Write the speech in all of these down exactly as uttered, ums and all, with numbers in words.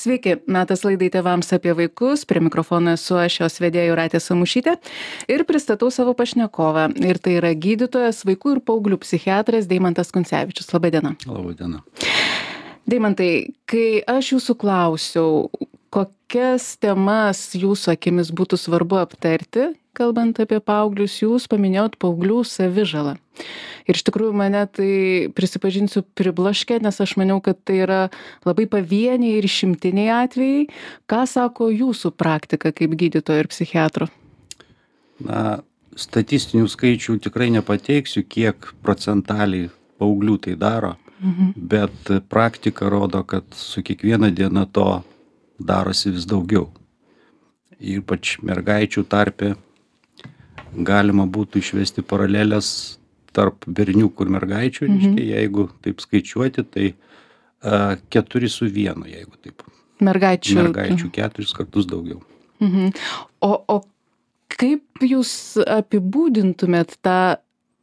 Sveiki, metas laidai tėvams apie vaikus, prie mikrofono esu aš jos vedėja Jūratė Samušytė ir pristatau savo pašnekovą. Ir tai yra gydytojas, vaikų ir paauglių psichiatras Deimantas Kuncevičius. Labą dieną. Labą dieną. Deimantai, kai aš jūsų klausiau, kokias temas jūsų akimis būtų svarbu aptarti, kalbant apie paauglius, jūs paminėjot paauglių savižalą. Ir iš tikrųjų mane tai, prisipažinsiu, pribloškė, nes aš maniau, kad tai yra labai pavieniai ir išimtiniai atvejai. Ką sako jūsų praktika kaip gydytojo ir psichiatro? Na, statistinių skaičių tikrai nepateiksiu, kiek procentaliai paauglių tai daro, mhm. bet praktika rodo, kad su kiekviena diena to darosi vis daugiau. Ypač mergaičių tarpe galima būtų išvesti paralelės tarp berniukų ir mergaičių, mhm. reiškia, jeigu taip skaičiuoti, tai uh, keturi su vienu, jeigu taip. Mergaičių. Mergaičių keturis kartus daugiau. Mhm. O, o kaip jūs apibūdintumėt tą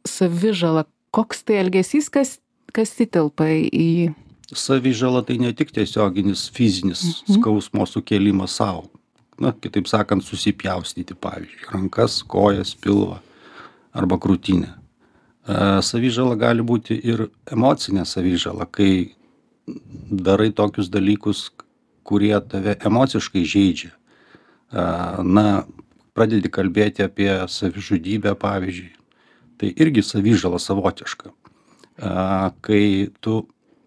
savižalą? Koks tai elgesys, kas, kas įtelpa į... Savižala tai ne tik tiesioginis fizinis mhm. skausmo sukėlimas savo. Na, kitaip sakant, susipjaustyti, pavyzdžiui, rankas, kojas, pilvą arba krūtinę. Savižala gali būti ir emocinė savižala, kai darai tokius dalykus, kurie tave emociškai žeidžia. Na, pradedi kalbėti apie savižudybę, pavyzdžiui. Tai irgi savižala savotiška. Kai tu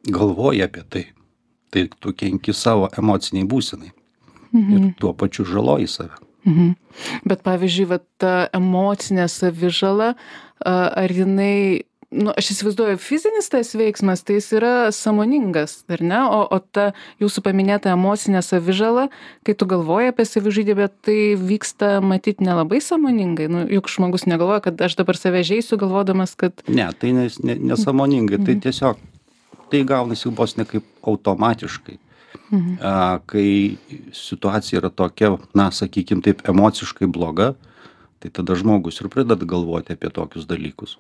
galvoji apie tai, tai tu kenki savo emociniai būsenai. Mhm. Ir tuo pačiu žaloji save. Mhm. Bet pavyzdžiui, va, ta emocinė savižala, ar jinai, nu, aš įsivaizduoju, fizinis tas veiksmas, tai jis yra sąmoningas, ar ne? O, o ta jūsų paminėta emocinė savižala, kai tu galvoji apie savižudybę, tai vyksta matyt nelabai sąmoningai. Nu, juk žmogus negalvoja, kad aš dabar save žeisiu, galvodamas, kad... Ne, tai nesąmoningai, ne, ne tai tiesiog, tai gaunasi vos ne kaip automatiškai. Mhm. A, kai situacija yra tokia, na, sakykim taip, emociškai bloga, tai tada žmogus ir pradeda galvoti apie tokius dalykus.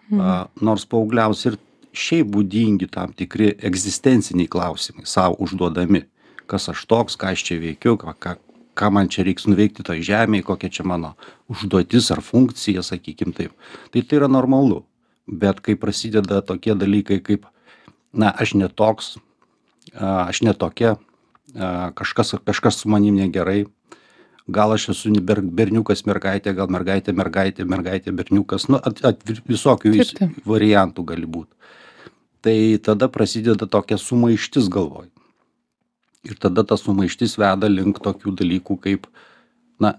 Mhm. A, nors paaugliams ir šiaip būdingi tam tikri egzistenciniai klausimai savo užduodami. Kas aš toks, ką aš čia veikiu, ką, ką, ką man čia reiks nuveikti toj žemėje, kokia čia mano užduotis ar funkcija, sakykim taip. Tai tai yra normalu. Bet kai prasideda tokie dalykai kaip, na, aš netoks, aš netokia, kažkas, kažkas su manim negerai, gal aš esu berniukas, mergaitė, gal mergaitė, mergaitė, mergaitė, berniukas, nu, at, at, visokių vis, variantų gali būti. Tai tada prasideda tokia sumaištis galvoj. Ir tada ta sumaištis veda link tokių dalykų kaip, na,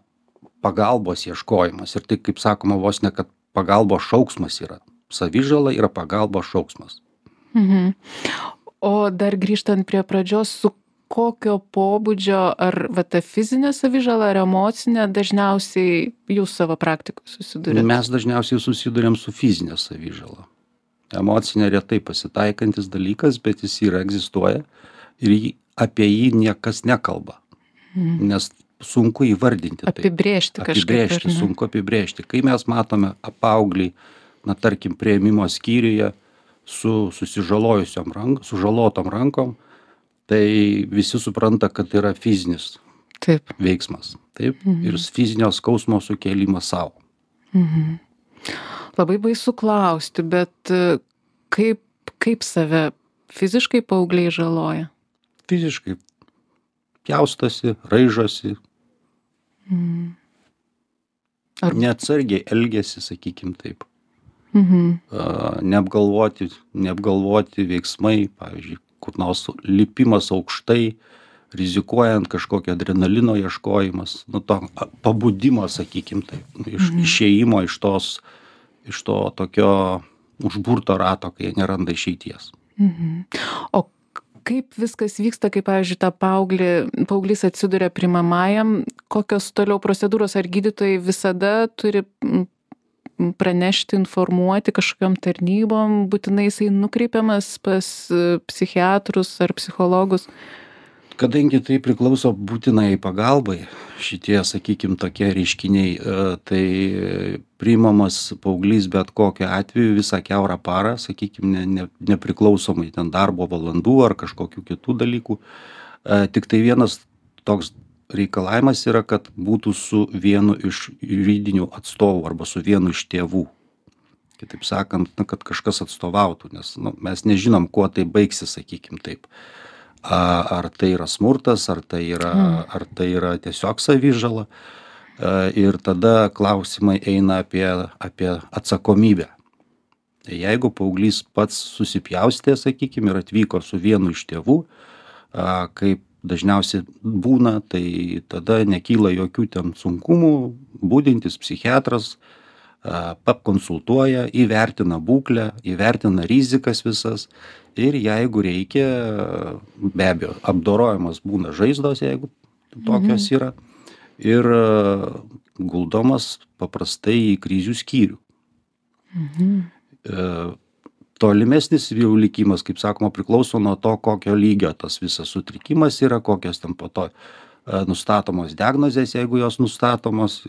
pagalbos ieškojimas. Ir tai, kaip sakoma, vos ne, kad pagalbos šauksmas yra. Savižala yra pagalbos šauksmas. Mhm. O dar grįžtant prie pradžios, su kokio pobūdžio, ar va, ta fizinė savižala, ar emocinė, dažniausiai jūs savo praktikoje susidurėte? Mes dažniausiai susidurėm su fizinė savižala. Emocinė retai pasitaikantis dalykas, bet jis yra, egzistuoja ir jį, apie jį niekas nekalba. Mhm. Nes sunku įvardinti tai. Apibrėžti kažkaip. Apibrėžti, sunku apibrėžti. Kai mes matome paauglį, na, tarkim, priėmimo skyriuje, su susižalojusiom rankom, sužalotom rankom, tai visi supranta, kad tai yra fizinis Taip. veiksmas. Taip? Mhm. Ir fizinio skausmo sukėlimas savo. Mhm. Labai baisu klausti, bet kaip, kaip save fiziškai paaugliai žaloja? Fiziškai pjaustosi, raižosi. Mhm. Ar... Neatsargiai elgiasi, sakykim taip. Mhm. Neapgalvoti, neapgalvoti veiksmai, pavyzdžiui, kur nors lipimas aukštai, rizikuojant kažkokio adrenalino ieškojimas, nu, to pabudimo, sakykim, taip, iš, mhm. išėjimo iš tos, iš to tokio užburto rato, kai jie neranda išeities. Mhm. O kaip viskas vyksta, kai, pavyzdžiui, ta paauglį, paauglys atsiduria priimamajam, kokios toliau procedūros, ar gydytojai visada turi pranešti, informuoti kažkokiom tarnybom, būtinai jisai nukreipiamas pas psichiatrus ar psichologus? Kadangi tai priklauso būtinai pagalbai, šitie, sakykim, tokie reiškiniai, tai priimamas paauglys bet kokiu atveju visą kiaurą parą, sakykim, ne, ne, nepriklausomai ten darbo valandų ar kažkokių kitų dalykų, Tik tai vienas toks reikalavimas yra, kad būtų su vienu iš juridinių atstovų arba su vienu iš tėvų. Kitaip sakant, na, kad kažkas atstovautų, nes nu, mes nežinom, kuo tai baigsis, sakykim taip. A, ar tai yra smurtas, ar tai yra, mm. ar tai yra tiesiog savižala. A, ir tada klausimai eina apie, apie atsakomybę. Tai jeigu paauglys pats susipjaustė, sakykim, ir atvyko su vienu iš tėvų, a, kaip dažniausiai būna, tai tada nekyla jokių ten sunkumų, budintis psichiatras pakonsultuoja, įvertina būklę, įvertina rizikas visas ir jeigu reikia, be abejo, apdorojimas būna žaizdos, jeigu tokios mhm. yra, ir guldomas paprastai į krizių skyrių. Mhm. Tolimesnis jau likimas, kaip sakoma, priklauso nuo to, kokio lygio tas visas sutrikimas yra, kokios ten po to nustatomos diagnozės, jeigu jos nustatomos,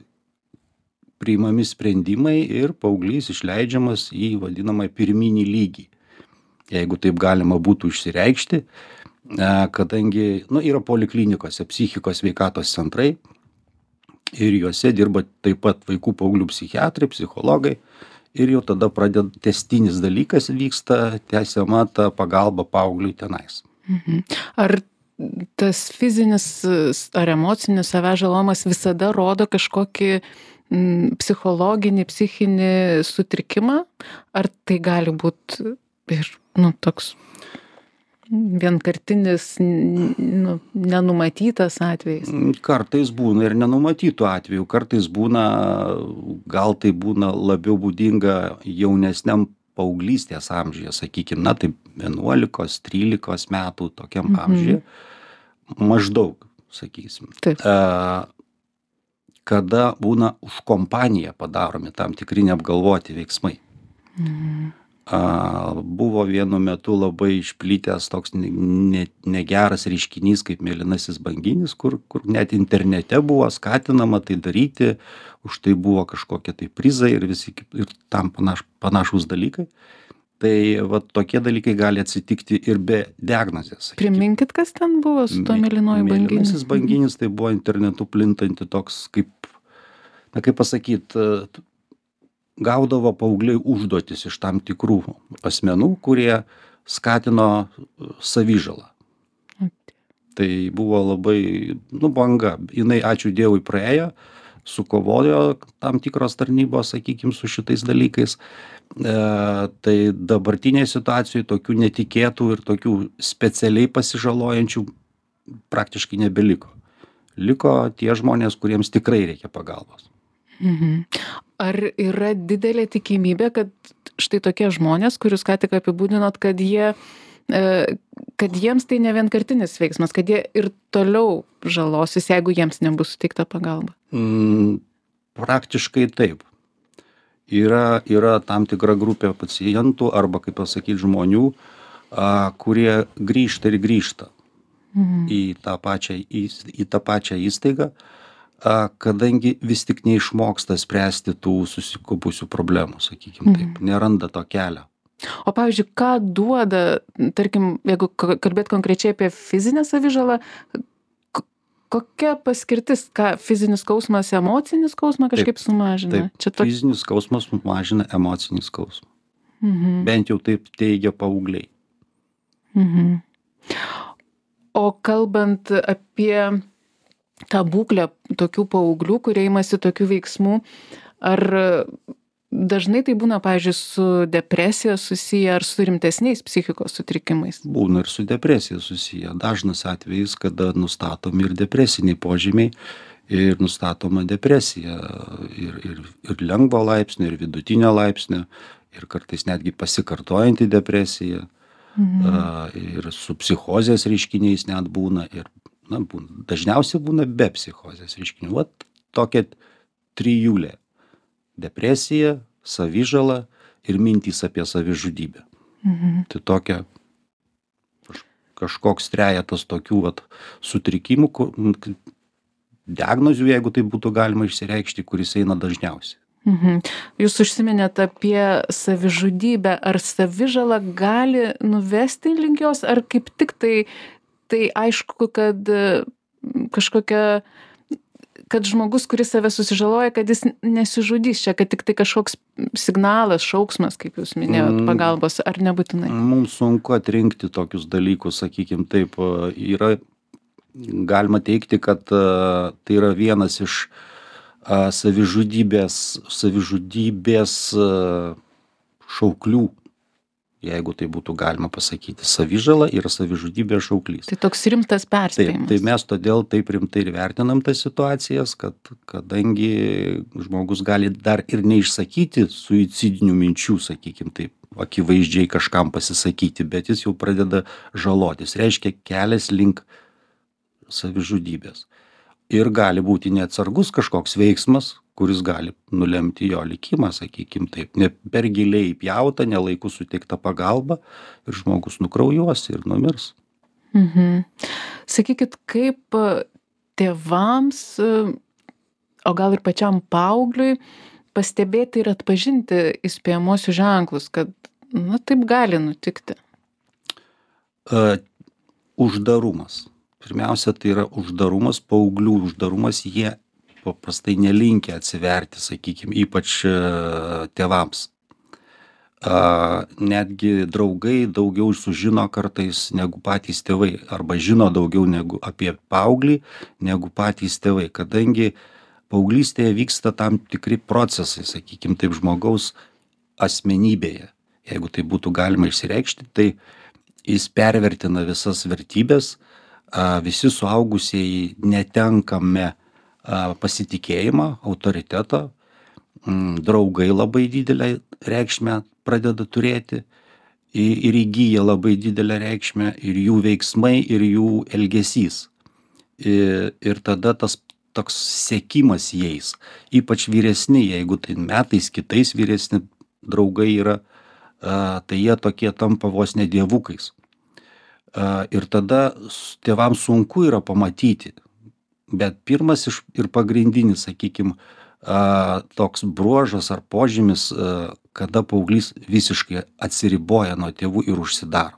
priimami sprendimai ir paauglys išleidžiamas į vadinamą pirminį lygį. Jeigu taip galima būtų išsireikšti, kadangi nu, yra poliklinikose psichikos sveikatos centrai ir juose dirba taip pat vaikų paauglių psichiatrai, psichologai ir jau tada pradeda tęstinis dalykas vyksta, tęsiama ta pagalba paaugliui tenais. Mhm. Ar tas fizinis ar emocinis savęs žalojimas visada rodo kažkokį psichologinį, psichinį sutrikimą, ar tai gali būti ir, nu, toks vienkartinis, nu, nenumatytas atvejis? Kartais būna ir nenumatytų atvejų, kartais būna, gal tai būna labiau būdinga jaunesniam paauglystės amžiuje, sakykime, na, tai vienuolikos, trylikos metų tokiam mhm. amžiuje, maždaug, sakysim. Taip. A, kada būna už kompaniją padaromi tam tikri neapgalvoti veiksmai. Mhm. A, buvo vienu metu labai išplitęs toks ne, ne, negeras reiškinys kaip mėlynasis banginis, kur, kur net internete buvo skatinama tai daryti, už tai buvo kažkokie tai prizai ir visi ir tam panaš, panašūs dalykai. Tai va, tokie dalykai gali atsitikti ir be diagnozės. Priminkit, kas ten buvo su to mėlynoju banginiu? Mėlynasis banginis tai buvo internetu plintanti toks, kaip, na kaip pasakyt, gaudavo paaugliai užduotis iš tam tikrų asmenų, kurie skatino savižalą. Tai buvo labai, nu, banga. Jinai, ačiū Dievui, praėjo, sukovojo tam tikros tarnybos, sakykim, su šitais dalykais. E, tai dabartinėje situacijoje tokių netikėtų ir tokių specialiai pasižalojančių praktiškai nebeliko. Liko tie žmonės, kuriems tikrai reikia pagalbos. Mhm. Ar yra didelė tikimybė, kad štai tokie žmonės, kurius ką tik apibūdinot, kad jie, kad jiems tai ne vienkartinis veiksmas, kad jie ir toliau žalosis, jeigu jiems nebus suteikta pagalba? Mm, praktiškai taip. Yra, yra tam tikra grupė pacientų arba, kaip pasakyti, žmonių, a, kurie grįžta ir grįžta mhm. į, tą pačią, į, į tą pačią įstaigą, a, kadangi vis tik neišmoksta spręsti tų susikaupusių problemų, sakykime taip, mhm. neranda to kelio. O pavyzdžiui, ką duoda, tarkim, jeigu kalbėt konkrečiai apie fizinę savižalą, kokia paskirtis, ką fizinis skausmas, emocinis skausmą kažkaip taip, sumažina? Taip, Čia to... fizinis skausmas mažina emocinį skausmą. Mhm. Bent jau taip teigia paaugliai. Mhm. O kalbant apie tą būklę tokių paauglių, kurie imasi tokių veiksmų, ar dažnai tai būna, pavyzdžiui, su depresija susiję ar su rimtesniais psichikos sutrikimais? Būna ir su depresija susiję. Dažnas atvejis, kada nustatomi ir depresiniai požymiai ir nustatoma depresija ir, ir, ir lengvo laipsnio, ir vidutinio laipsnio, ir kartais netgi pasikartojanti depresija. Mhm. A, ir su psichozės reiškiniais net būna. Ir, na, būna. Dažniausiai būna be psichozės reiškinių. Vat tokia trijulė. Depresija, savižala ir mintys apie savižudybę. Mhm. Tai tokia kažkoks trejetas tokių vat, sutrikimų, diagnozių, jeigu tai būtų galima išsireikšti, kuris eina dažniausiai. Mhm. Jūs užsiminėte apie savižudybę. Ar savižala gali nuvesti link jos, ar kaip tik tai tai aišku, kad kažkokia, kad žmogus, kuris save susižaloja, kad jis nesižudys čia, kad tik tai kažkoks signalas, šauksmas, kaip jūs minėjot, pagalbos, ar nebūtinai? Mums sunku atrinkti tokius dalykus, sakykim taip, yra, galima teikti, kad tai yra vienas iš savižudybės, savižudybės šauklių, jeigu tai būtų galima pasakyti. Savižala yra savižudybės šauklys. Tai toks rimtas perspėjimas. Taip, tai mes todėl taip rimtai ir vertinam tas situacijas, kad kadangi žmogus gali dar ir neišsakyti suicidinių minčių, sakykim taip, akivaizdžiai kažkam pasisakyti, bet jis jau pradeda žalotis. Reiškia kelias link savižudybės. Ir gali būti neatsargus kažkoks veiksmas, kuris gali nulemti jo likimą, sakykim taip, ne per giliai įpjauta, nelaiku suteikta pagalba ir žmogus nukraujuos ir numirs. Mhm. Sakykit, kaip tėvams, o gal ir pačiam paaugliui, pastebėti ir atpažinti įspėjamuosius ženklus, kad, na, taip gali nutikti? Uh, uždarumas. Pirmiausia, tai yra uždarumas, paauglių uždarumas, jie paprastai nelinkę atsiverti, sakykime, ypač tėvams. Netgi draugai daugiau sužino kartais negu patys tėvai, arba žino daugiau negu apie paauglį, negu patys tėvai, kadangi paauglystėje vyksta tam tikri procesai, sakykime, taip žmogaus asmenybėje. Jeigu tai būtų galima išsireikšti, tai jis pervertina visas vertybės, visi suaugusieji netenkame pasitikėjimą, autoritetą, draugai labai didelę reikšmę pradeda turėti ir įgyja labai didelę reikšmę ir jų veiksmai, ir jų elgesys. Ir, ir tada tas toks sekimas jais, ypač vyresni, jeigu tai metais kitais vyresni draugai yra, tai jie tokie tampa vos ne dievukais. Ir tada tėvams sunku yra pamatyti. Bet pirmas iš, ir pagrindinis, sakykime, toks bruožas ar požymis, kada paauglys visiškai atsiriboja nuo tėvų ir užsidaro.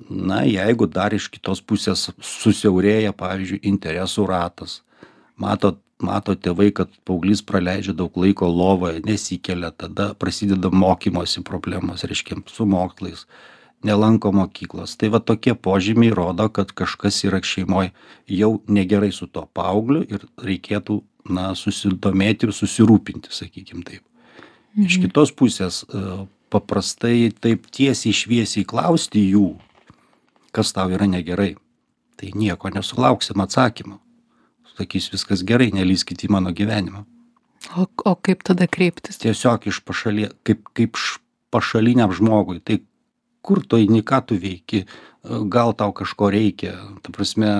Na, jeigu dar iš kitos pusės susiaurėja, pavyzdžiui, interesų ratas, mato, mato tėvai, kad paauglys praleidžia daug laiko lovoje, nesikelia, tada prasideda mokymosi problemos, reiškia, su mokslais, nelanko mokyklos. Tai va tokie požymiai rodo, kad kažkas yra šeimoje jau negerai su to paaugliu ir reikėtų, na, susidomėti ir susirūpinti, sakykim taip. Mhm. Iš kitos pusės, paprastai taip tiesiai šviesiai klausti jų, kas tau yra negerai, tai nieko nesulauksim atsakymą. Sakys, viskas gerai, nelyskit į mano gyvenimą. O, o kaip tada kreiptis? Tiesiog iš pašalie, kaip, kaip pašaliniam žmogui, tai kur tu eini, ką tu veiki, gal tau kažko reikia, ta prasme,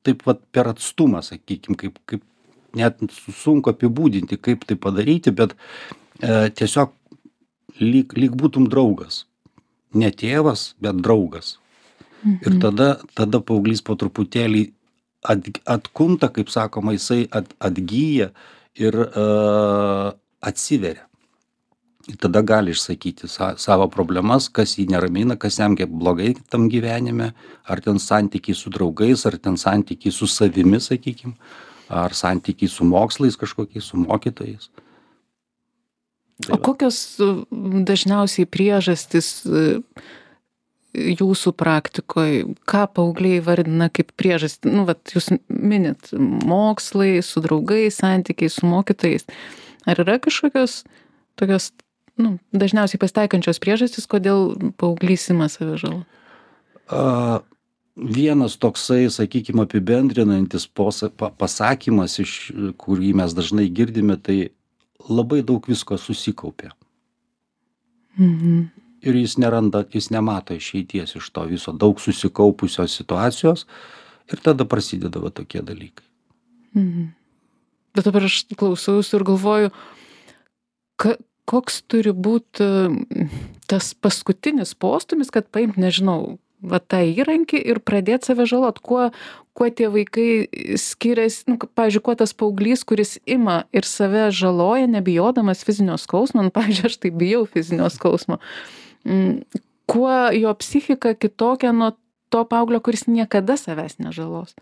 taip vat per atstumą, sakykim, kaip, kaip net sunku apibūdinti, kaip tai padaryti, bet e, tiesiog lyg, lyg būtum draugas, ne tėvas, bet draugas. Mhm. Ir tada, tada paauglys po truputėlį at, atkunta, kaip sakoma, jisai at, atgyja ir e, atsiveria. Ir tada gali išsakyti sa, savo problemas, kas jį neramina, kas jam kaip blogai tam gyvenime, ar ten santykiai su draugais, ar ten santykiai su savimi, sakykim, ar santykiai su mokslais kažkokiais, su mokytojais. Tai o kokios dažniausiai priežastys jūsų praktikoje, ką paaugliai vardina kaip priežastį? Nu, vat, jūs minit mokslai, su draugais, santykiai su mokytojais. Ar yra kažkokios tokios, nu, dažniausiai pasitaikančios priežastys, kodėl paauglys ima savižalą? Uh, vienas toksai, sakykime, apibendrinantis posa, pa, pasakymas, iš kurį mes dažnai girdime, tai labai daug visko susikaupė. Mhm. Ir jis neranda, jis nemato išeities iš to viso, daug susikaupusios situacijos ir tada prasideda va tokie dalykai. Mhm. Bet dabar aš klausausi ir galvoju, ka, koks turi būti tas paskutinis postumis, kad paimt, nežinau, va tą įrankį ir pradėti save žalot, kuo, kuo tie vaikai skiriasi, nu, pavyzdžiui, kuo tas paauglys, kuris ima ir save žaloja, nebijodamas fizinio skausmo, nu, pavyzdžiui, aš tai bijau fizinio skausmo, kuo jo psichika kitokia nuo to paauglio, kuris niekada savęs nežalos?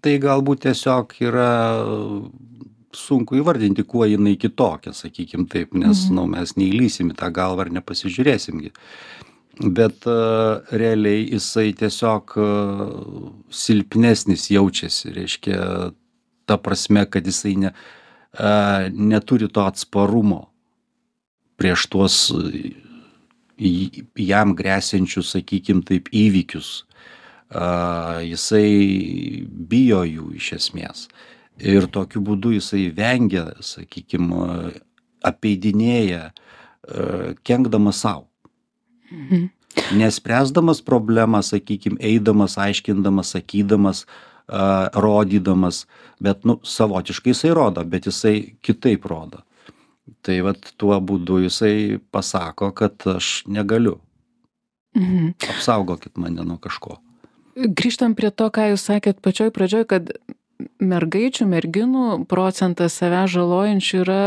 Tai galbūt tiesiog yra sunku įvardinti, kuo jinai kitokia, sakykim taip, nes Mhm. nu, mes neįlysim į tą galvą ir nepasižiūrėsimgi. Bet uh, realiai jisai tiesiog uh, silpnesnis jaučiasi, reiškia, ta prasme, kad jisai ne, uh, neturi to atsparumo prieš tuos uh, į- jam grėsiančius, sakykim taip, įvykius. Uh, jisai bijo jų iš esmės. Ir tokiu būdu jisai vengia, sakykim, uh, apeidinėja, uh, kenkdamas savo. Mhm. Nespręsdamas problemą, sakykim, eidamas, aiškindamas, sakydamas, uh, rodydamas, bet, nu, savotiškai jisai rodo, bet jisai kitaip rodo. Tai vat tuo būdu jisai pasako, kad aš negaliu. Mhm. Apsaugokit mane nuo kažko. Grįžtam prie to, ką jūs sakėt pačioj pradžioj, kad mergaičių, merginų procentas savęs žalojančių yra,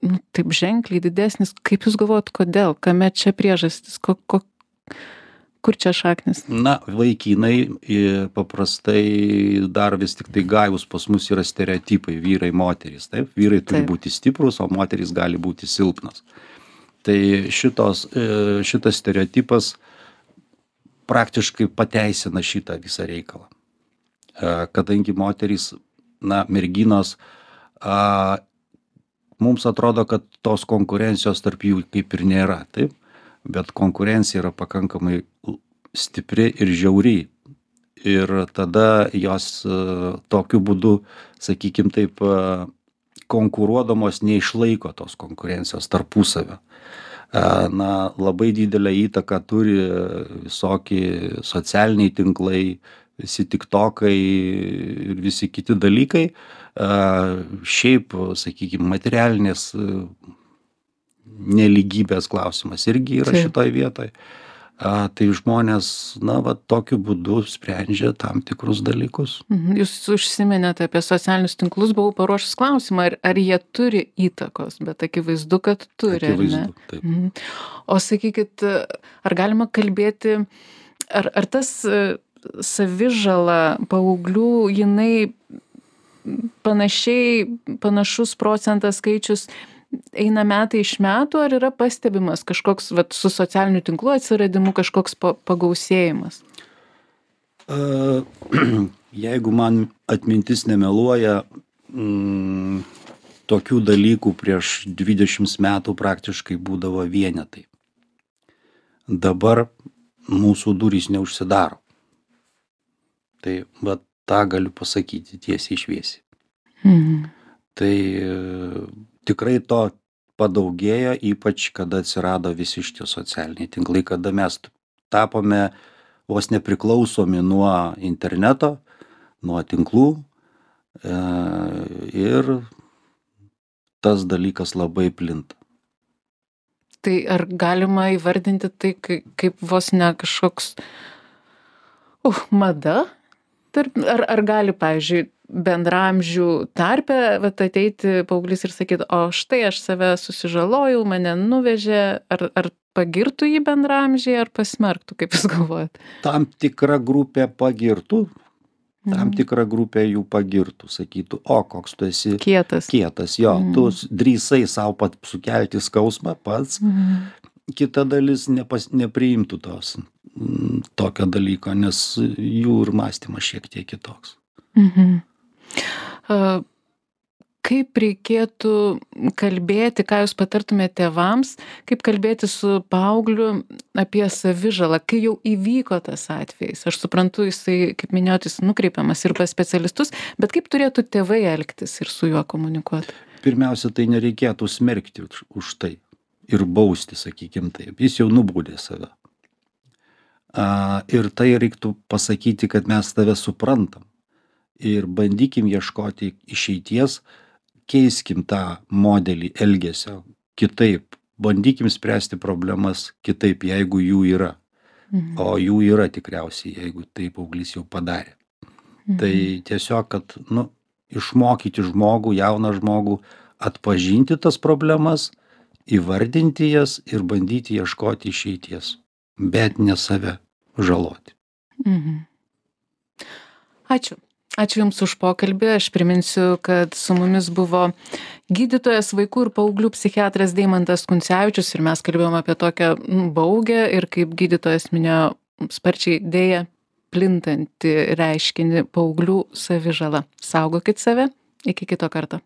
nu, taip ženkliai didesnis. Kaip jūs galvojat, kodėl? Kame čia priežastis? Ko, ko, kur čia šaknis? Na, vaikinai i, paprastai dar vis tik tai gajus pas mus yra stereotipai vyrai, moterys. Taip, vyrai turi Taip. būti stiprus, o moterys gali būti silpnas. Tai šitos, e, šitas stereotipas praktiškai pateisina šitą visą reikalą. E, Kadangi moterys, na, merginos, a, mums atrodo, kad tos konkurencijos tarp jų kaip ir nėra, taip? Bet konkurencija yra pakankamai l- stipri ir žiauri. Ir tada jos e, tokiu būdu, sakykim taip, e, konkuruodamos neišlaiko tos konkurencijos tarpusavio. E, Na, labai didelę įtaką turi visokie socialiniai tinklai, visi tiktokai ir visi kiti dalykai. E, Šiaip, sakykime, materialinės e, nelygybės klausimas irgi yra Taip. šitoj vietoj. A, tai žmonės, na, va, tokiu būdu sprendžia tam tikrus dalykus. Mhm. Jūs užsiminėte apie socialinius tinklus, buvau paruošęs klausimą, ar, ar jie turi įtakos, bet akivaizdu, kad turi. ar ne? Akivaizdu, taip. Mhm. O sakykit, ar galima kalbėti, ar, ar tas e, savižala paauglių, jinai panašiai, panašus procentas skaičius eina metai iš metų, ar yra pastebimas kažkoks, vat, su socialiniu tinklu atsiradimu kažkoks pa, pagausėjimas? A, Jeigu man atmintis nemeluoja, mm, tokių dalykų prieš dvidešimt metų praktiškai būdavo vienetai. Dabar mūsų durys neužsidaro. Tai va tą galiu pasakyti tiesiai šviesiai. Mhm. Tai e, tikrai to padaugėjo, ypač kada atsirado visi šitie socialiniai tinklai, kada mes tapome vos nepriklausomi nuo interneto, nuo tinklų e, ir tas dalykas labai plinta. Tai ar galima įvardinti tai kai- kaip vos ne kažkoks uh, mada? Tarp, ar, ar gali, pavyzdžiui, bendramžių tarpe vat, ateiti paauglys ir sakyti, o štai aš save susižalojau, mane nuvežė, ar, ar pagirtų jį bendramžiai, ar pasmerktų, kaip jūs galvojat? Tam tikra grupė pagirtų, tam Mhm. tikra grupė jų pagirtų, sakytų, o koks tu esi Kietas. kietas, jo, Mhm. tu s- drįsai savo pat sukelti skausmą pats, Mhm. kita dalis nepas, nepriimtų tos mm, tokio dalyko, nes jų ir mąstymas šiek tiek kitoks. Mhm. A, Kaip reikėtų kalbėti, ką jūs patartumėte tėvams, kaip kalbėti su paaugliu apie savižalą, kai jau įvyko tas atvejis? Aš suprantu, jisai, kaip minėjot, jis nukreipiamas ir pas specialistus, bet kaip turėtų tėvai elgtis ir su juo komunikuoti? Pirmiausia, tai nereikėtų smerkti už, už tai ir bausti, sakykim taip. Jis jau nubaudė save. A, ir tai reiktų pasakyti, kad mes tave suprantam. Ir bandykim ieškoti išeities, keiskim tą modelį elgesio kitaip. Bandykim spręsti problemas kitaip, jeigu jų yra. Mhm. O jų yra tikriausiai, jeigu tai paauglys jau padarė. Mhm. Tai tiesiog, kad, nu, išmokyti žmogų, jauną žmogų, atpažinti tas problemas, įvardinti jas ir bandyti ieškoti išeities. Bet ne save žaloti. Mhm. Ačiū. Ačiū Jums už pokalbį. Aš priminsiu, kad su mumis buvo gydytojas vaikų ir paauglių psichiatras Deimantas Kuncevičius ir mes kalbėjom apie tokią baugę ir, kaip gydytojas minėjo, sparčiai dėja plintantį reiškinį paauglių savižala. Saugokit save. Iki kito karto.